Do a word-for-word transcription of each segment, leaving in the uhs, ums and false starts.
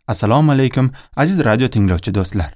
Assalomu alaykum aziz radio tinglovchi do'stlar.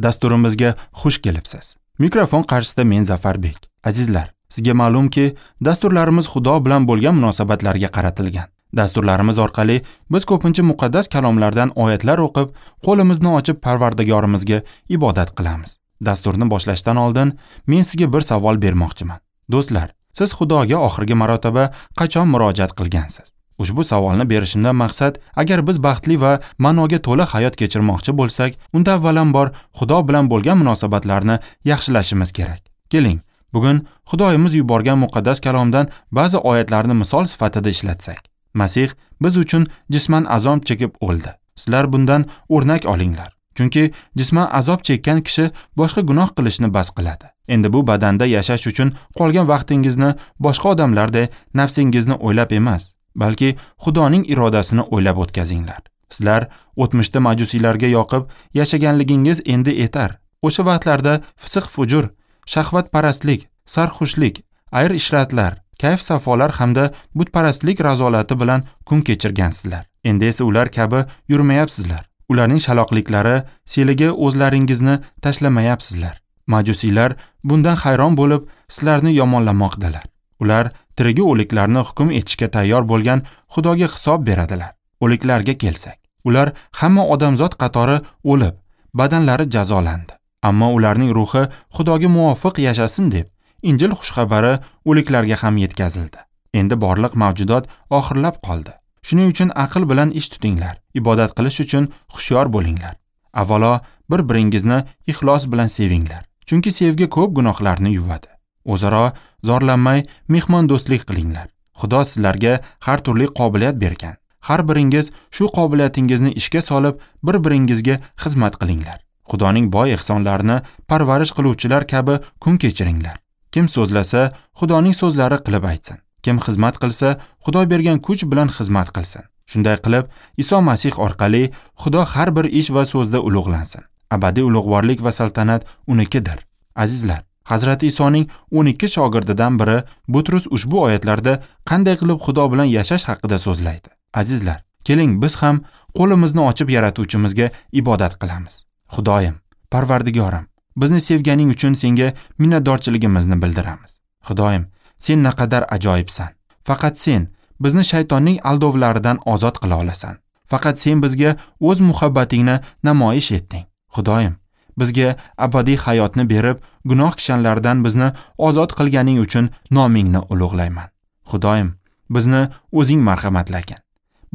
Dasturimizga xush kelibsiz. Mikrofon qarshisida men Zafarbek. Azizlar, sizga ma'lumki, dasturlarimiz Xudo bilan bo'lgan munosabatlarga qaratilgan. Dasturlarimiz orqali biz ko'pincha muqaddas kalomlardan oyatlar o'qib, qo'limizni ochib Parvardigorimizga ibodat qilamiz. Dasturni boshlashdan oldin men sizga bir savol bermoqchiman. Do'stlar, siz Xudoga oxirgi marotaba qachon murojaat qilgansiz? Ushbu savolni berishimdan maqsad, agar biz baxtli va ma'noga to'la hayot kechirmoqchi bo'lsak, unda avvalambor Xudo bilan bo'lgan munosabatlarni yaxshilashimiz kerak. Keling, bugun Xudoyimiz yuborgan muqaddas kalomdan ba'zi oyatlarni misol sifatida ishlatsak. Masih biz uchun jisman azob chekib o'ldi. Sizlar bundan o'rnak olinglar. Chunki jisman azob chekkan kishi boshqa gunoh qilishni bas qiladi. Endi bu badanda yashash uchun qolgan vaqtingizni boshqa odamlarday nafsingizni o'ylab emas, balki Xudoning irodasini o'ylab o'tkazinglar. Sizlar o'tmishda majusiylarga yoqib yashaganligingiz endi etar. O'sha vaqtlarda fisq-fujur, shahvatparastlik, sarxushlik, ayr-ishratlar, kayf-safolar hamda butparastlik razolati bilan kun kechirgansizlar. Endi esa ular kabi yurmayapsizlar. Ularning shaloqliklari seliga o'zlaringizni tashlamayapsizlar. Majusiylar bundan hayron bo'lib, sizlarni yomonlamoqdalar. Ular tirigi o'liklarni hukm etishga tayyor bo'lgan Xudoga hisob beradilar. O'liklarga kelsak, ular hamma odamzod qatori o'lib, badanlari jazolandi. Ammo ularning ruhi Xudoga muvofiq yashasin deb Injil xushxabari o'liklarga ham yetkazildi. Endi borliq mavjudot oxirlab qoldi. Shuning uchun aql bilan ish tutinglar, ibodat qilish uchun hushyor bo'linglar. Avvalo bir-biringizni ixlos bilan sevinglar. Chunki sevgi ko'p gunohlarni yuvadi. O'zaro zorlanmay mehmondo'stlik qilinglar. Xudo sizlarga har turli qobiliyat bergan. Har biringiz shu qobiliyatingizni ishga solib, bir-biringizga xizmat qilinglar. Xudoning boy ehsonlarini parvarish qiluvchilar kabi kun kechiringlar. Kim so'zlasa, Xudoning so'zlari qilib aytsin. Kim xizmat qilsa, Xudo bergan kuch bilan xizmat qilsin. Shunday qilib, Iso Masih orqali Xudo har bir ish va so'zda ulug'lansin. Abadiy ulug'vorlik va saltanat unikidir. Azizlar, Hazrati Isoning o'n ikki shogirdidan biri Butrus ushbu oyatlarda qanday qilib Xudo bilan yashash haqida so'zlaydi. Azizlar, keling biz ham qo'limizni ochib yaratuvchimizga ibodat qilamiz. Xudoyim, Parvardigorim, bizni sevganing uchun senga minnatdorchiligimizni bildiramiz. Xudoyim, sen naqadar ajoyibsan. Faqat sen bizni shaytonning aldovlaridan ozod qila olasan. Faqat sen bizga o'z muhabbatingni namoyish etding. Xudoyim, bizga abadiy hayotni berib, gunoh kishanlaridan bizni ozod qilganing uchun nomingni ulug'layman. Xudoyim, bizni o'zing marhamatlagin.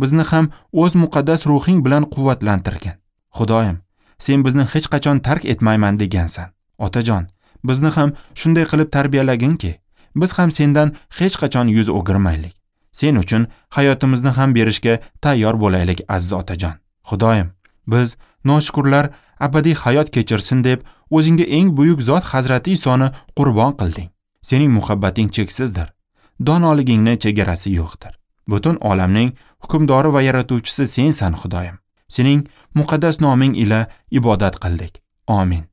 Bizni ham o'z muqaddas ruhing bilan quvvatlantirgin. Xudoyim, sen bizni hech qachon tark etmayman degansan. Otajon, bizni ham shunday qilib tarbiyalaginki, biz ham sendan hech qachon yuz o'girmaylik. Sen uchun hayotimizni ham berishga tayyor bo'laylik, aziz otajon. Xudoyim, biz noshukurlar abadiy hayot kechirsin deb o'zingga eng buyuk zot Hazrati Isoni qurbon qilding. Sening muhabbating cheksizdir. Donoligingning chegarasi yo'qdir. Butun olamning hukmdori va yaratuvchisi sensan, Xudoyim. Sening muqaddas noming ila ibodat qildik. Amin.